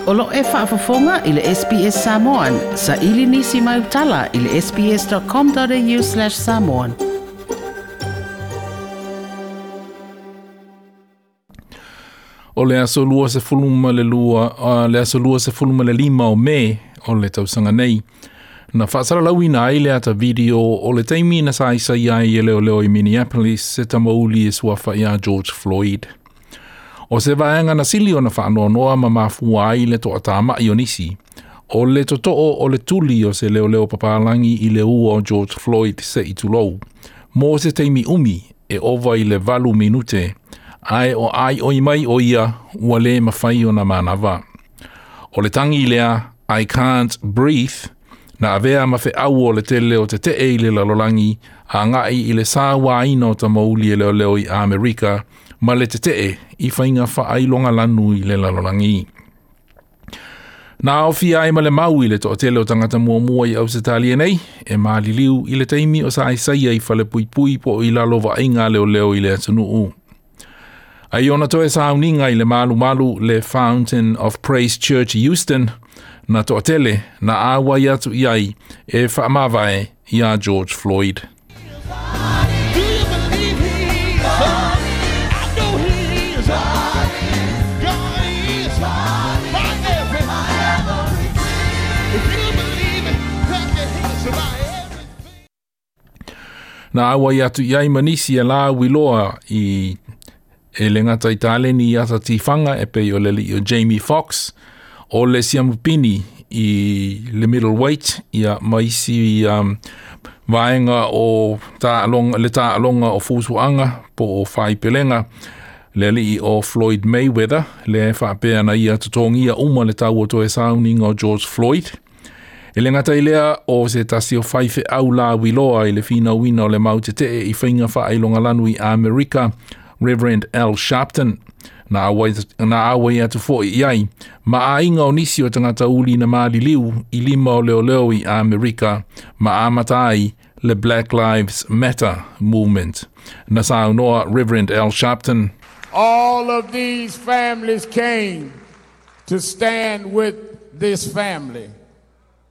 O lo o e faafofoga i le SBS Samoan, saili nisi mau tala i le sbs.com.au/samoan. O le aso 22, le aso 25 o Me o le tausaga nei, na faasalalauina ai le ata video o le taimi na saisai ai e leoleo i Minneapolis se tamauli e suafa ia George Floyd. O se vaega na sili ona faanoanoa ma mafua ai le toatama'i o nisi, o le totoo o le tuli o se leoleo papalangi i le ua o George Floyd se i tulou, mo se taimi umi e ova i le 8 minute, ae o aioi mai o ia ua le mafai ona manava. O le tangi lea I Can't Breathe, na avea ma feau o le tele o tetee i le lalolagi agai i le sauaina o tamauli e leoleo i Amerika ma le tetee i faiga faailogalanu i le lalolagi. Na aofia ai ma le mau i le toatele o tagata muamua i Ausetalia nei, e maliliu i le taimi o saisaia i falepuipui po o i lalo vaaiga a leoleo i le atunuu. Ai ona toe sauniga i le malumalu le Fountain of Praise Church i Houston, na toatele na auai atu i ai e faamavae iā George Floyd. Do you believe he is? I know he is. God is my everything. If you believe it, clap your hands my everything. Na auai atu i ai ma nisi e lauiloa i e le gata i taleni i ata tifaga e pei o le alii o Jamie Foxx, o le siamupini i le middleweight, ia ma isi vaega o taaloga, le taaloga o fusuaga po o faipelega, le alii o Floyd Mayweather, lea e faapea na ia totogia uma le tau o toe sauniga o George Floyd. E le gata i lea o se tasi o faifeau lauiloa i le finauina o le mau tetee i faiga faailogalanu i Amerika, Reverend Al Sharpton, na auai atu foi i ai ma aiga o nisi o tagata uli na maliliu i lima o leoleo i Amerika ma amata ai le Black Lives Matter movement. Na saunoa Reverend Al Sharpton. All of these families came to stand with this family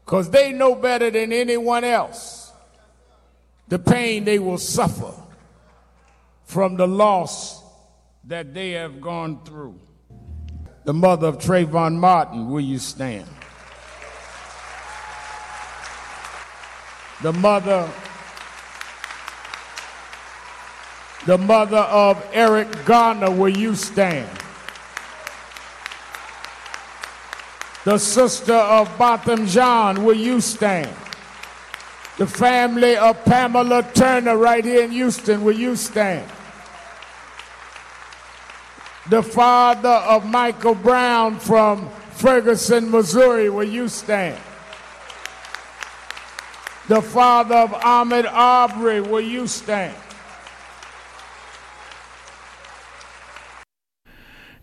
because they know better than anyone else the pain they will suffer from the loss that they have gone through. The mother of Trayvon Martin, will you stand? The mother of Eric Garner, will you stand? The sister of Botham Jean, will you stand? The family of Pamela Turner right here in Houston, will you stand? The father of Michael Brown from Ferguson, Missouri, will you stand? The father of Ahmaud Arbery, will you stand?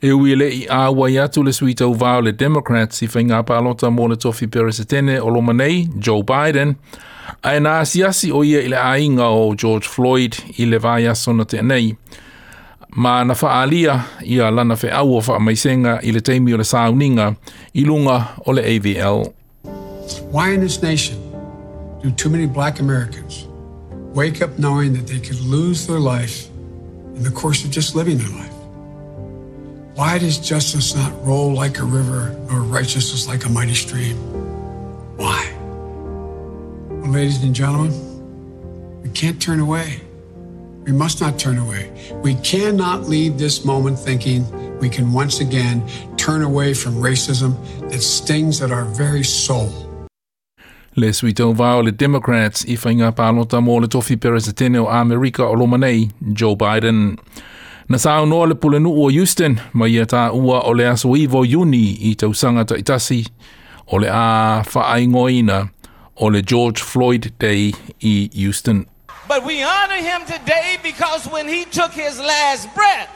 E ui e le i auai atu le sui tauvā o le Democrats i faiga palota mo le tofi Peresetene o loma nei, Joe Biden, ae na asiasi o ia i le aiga o George Floyd i le vaiaso na tea nei, ma na faaalia ia lana feau o faamaisega i le taimi o le sauniga i luga o le AVL. Why in this nation do too many black Americans wake up knowing that they could lose their life in the course of just living their life? Why does justice not roll like a river nor righteousness like a mighty stream? Why? Well, ladies and gentlemen, we can't turn away. We must not turn away. We cannot leave this moment thinking we can once again turn away from racism that stings at our very soul. Le sui tauvā o le Democrats i faiga palota mo le tofi Peresetene o Amerika o loma nei, Joe Biden. Na saunoa le pulenuu o Houston ma ia taua o le aso 9 o Iuni i tausaga taitasi o le a faaigoaina o le George Floyd Day i Houston. But we honor him today because when he took his last breath,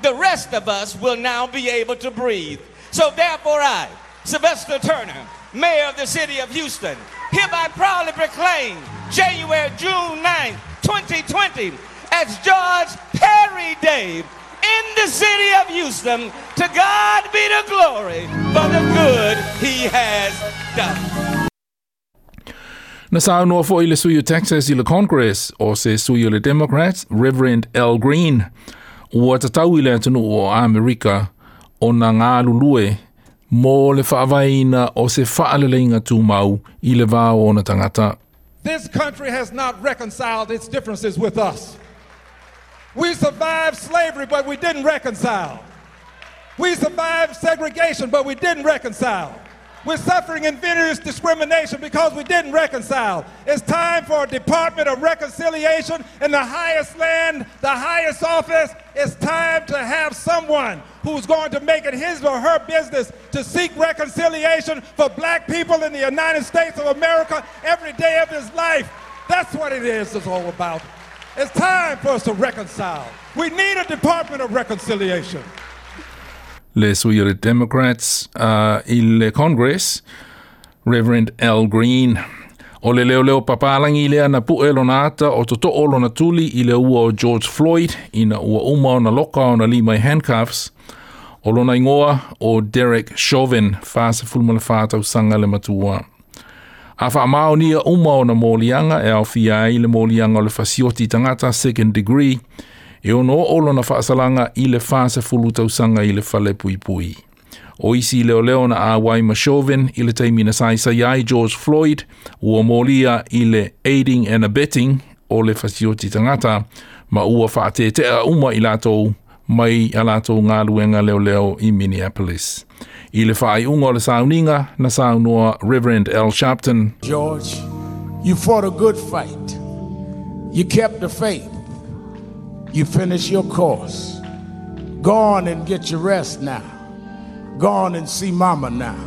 the rest of us will now be able to breathe. So therefore I, Sylvester Turner, Mayor of the City of Houston, hereby proudly proclaim January, June 9th, 2020 as George Perry Day in the city of Houston. To God be the glory for the good he has done. Na saunoa foi le sui o Texas i le Congress o se sui o le Democrats, Reverend Al Green, ua tatau i le atunuu o Amerika ona galulue mo le faavaeina o se faaleleiga tumau i le va o ona tagata. This country has not reconciled its differences with us. We survived slavery, but we didn't reconcile. We survived segregation, but we didn't reconcile. We're suffering invidious discrimination because we didn't reconcile. It's time for a Department of Reconciliation in the highest land, the highest office. It's time to have someone who's going to make it his or her business to seek reconciliation for black people in the United States of America every day of his life. That's what it is it's all about. It's time for us to reconcile. We need a Department of Reconciliation. Le sui o le Democrats i le Congress, Reverend Al Green. O le leoleo papalangi lea na pu'e lona ata o toto'o lona tuli i le ua o George Floyd ina ua uma ona loka ona lima i handcuffs. O lona igoa o Derek Chauvin, 44 tausaga le matua. A faamaonia uma ona moliaga e aofia ai le moliaga o le fasioti tagata second degree, e ono oo lona faasalaga i le 40 tausaga i le fale puipui. O isi leoleo na auai ma Chauvin i le taimi na saisai ai George Floyd ua molia i le aiding and abetting o le fasioti tagata ma ua faatetea uma i latou mai a latou galuega leoleo i Minneapolis. I le faaiuga o le sauniga na saunoa Reverend Al Sharpton. George, you fought a good fight. You kept the faith. You finished your course. Go on and get your rest now. Go on and see mama now.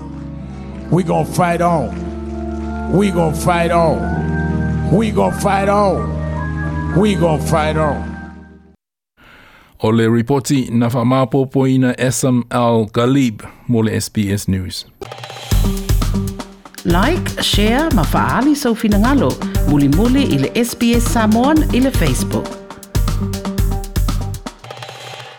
We gonna fight on. We gonna fight on. We gonna fight on. We gonna fight on. O le ripoti na faamaopoopoina Essam Al Ghalib mo le SBS News. Like, share ma faaali sou finagalo. Mulimuli i le SBS Samoan i le Facebook.